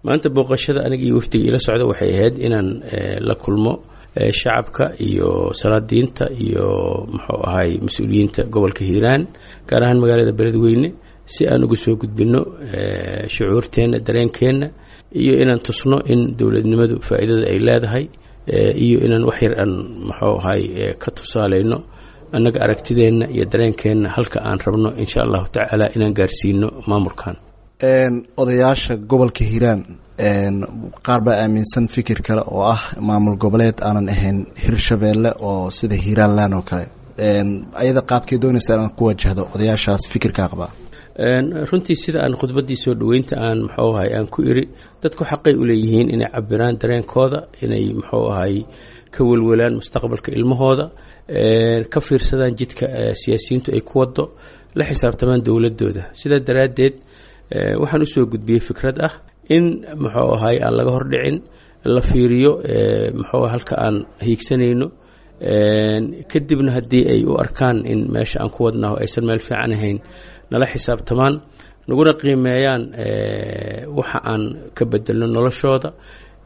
Maanta booqashada aniga iyo wafdiga ila socda waxay ahayd inaan la kulmo shacabka iyo salaadiinta iyo muxuu ahay mas-uuliyiinta gobolka Hiiraan, gaar ahaan magaalada Beledweyne, si aan uga soo gudbino shucuurteenna, dareenkeenna, iyo inaan tusno in dowladnimadu faa'iidada ay leedahay, iyo inaan wax yar aan muxuu ahay ka tusaaleyno annaga aragtideenna iyo dareenkeenna halka aan rabno insha Allahu tacaala inaan gaarsiino maamulkan. Odayaasha gobolka Hiiraan qaar baa aaminsan fikir kale oo ah maamul goboleed aanan ahayn Hirshabeelle oo sida Hiiraanland oo kale. Ayada qaabkay doonaysa inaan ku wajahdo odayaashaas fikirkaa qabaa? Runtii sida aan khudbaddii soo dhoweynta aan muxuu ahay aan ku iri, dadku xaqay u leeyihiin inay cabiraan dareenkooda, inay muxuu ahay ka welwelaan mustaqbalka ilmahooda, ka fiirsadaan jidka siyaasiyiintu ay ku wado, la xisaabtamaan dowladooda. Sidaa daraaddeed waxaan usoo gudbiyey fikrad ah in muxuu ahay aan laga hordhicin, la fiiriyo muxuu halka aan hiigsanayno, kadibna haddii ay u arkaan in meesha aan ku wadnaho aysan meel fiican ahayn, nala xisaabtamaan, naguna qiimeeyaan waxa aan ka bedelno noloshooda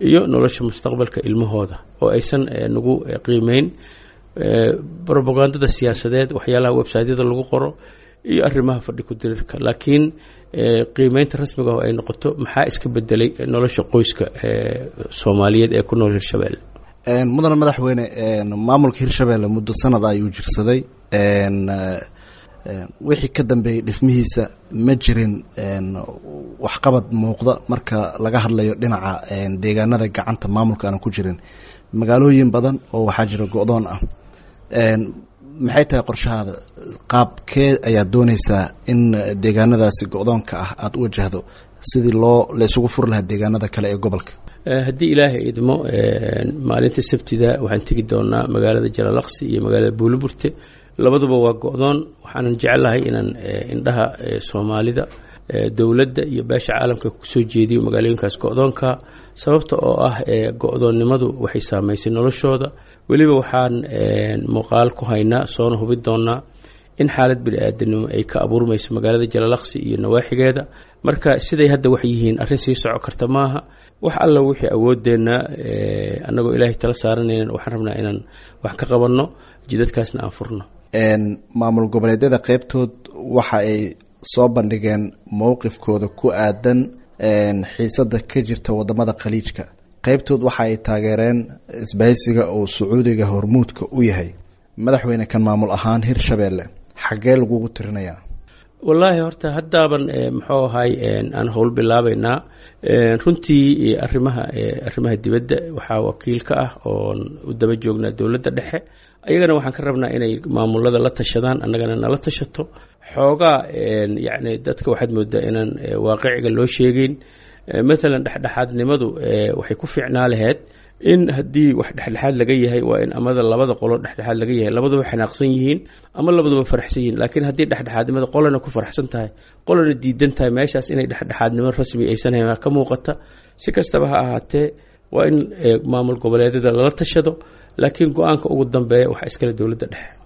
iyo nolosha mustaqbalka ilmahooda, oo aysan nagu qiimeyn robagandada siyaasadeed, waxyaalaha websiteyada lagu qoro iyo arrimaha fadhi ku dirirka, laakiin qiimeynta rasmiga oo ay noqoto maxaa iska bedelay nolosha qoyska Soomaaliyeed ee ku nool Hirshabeelle. Mudane madaxweyne, maamulka Hirshabeelle muddo sanad ayuu jirsaday. Wixii ka dambeeyey dhismihiisa ma jirin waxqabad muuqda marka laga hadlayo dhinaca deegaanada gacanta maamulka aanan ku jirin. Magaalooyin badan oo waxaa jira go-doon ah. Maxay tahay qorshahaada? Qaabkee ayaad dooneysaa in deegaanadaasi go-doonka ah aada u wajahdo sidii loo la isugu furi lahaa deegaanada kale ee gobolka? Haddii Ilaahay idmo, maalinta Sabtida waxaan tegi doonaa magaalada Jalalaqsi iyo magaalada Buuliburte. Labaduba waa go-doon. Waxaanan jecelahay inaan indhaha Soomaalida, dowladda iyo beesha caalamka kusoo jeediyo magaalooyinkaas go-doonka, sababta oo ah go-doonnimadu waxay saamaysay noloshooda. Weliba waxaan muuqaal ku haynaa soona hubi doonaa in xaalad bini-aadanimo ay ka abuurmayso magaalada Jalalaqsi iyo nawaaxigeeda. Marka siday hadda wax yihiin arrin sii soco karta maaha. Wax alla wixii awoodeennaa, annagoo Ilaahay tala saaranaynan, waxaan rabnaa inaan wax ka qabanno, jidadkaasna aan furno. Maamul goboleedyada qeybtood waxa ay soo bandhigeen mowqifkooda ku aadan xiisada ka jirta wadamada Khaliijka. Qeybtood waxa ay taageereen isbahaysiga oo Sacuudiga hormuudka u yahay. Madaxweyne, kan maamul ahaan Hirshabeelle xaggee lagugu tirinayaa? Wallaahi horta haddaaban muxuu ahay aan howl bilaabaynaa. Runtii arrimaha dibadda waxaa wakiil ka ah oon u daba joognaa dowladda dhexe. Ayagana waxaan ka rabnaa inay maamulada la tashadaan, annagana nala tashato. Xoogaa yacni dadka waxaad moodaa inaan waaqiciga loo sheegeyn. Maalan dhexdhexaadnimadu waxay ku fiicnaa laheyd in haddii wax dhexdhexaad laga yahay, waa in amada labada qolo dhexdhexaad laga yahay, labaduba xanaaqsan yihiin ama labaduba faraxsan yihiin. Laakiin haddii dhexdhexaadnimada qolana ku faraxsan tahay, qolana diidan tahay, meeshaas inay dhexdhexaadnimo rasmi aysan hayn ka muuqata. Si kastaba ha ahaatee, waa in maamul goboleedyada lala tashado, laakiin go-aanka ugu dambeeya waxaa iskale dowladda dhexe.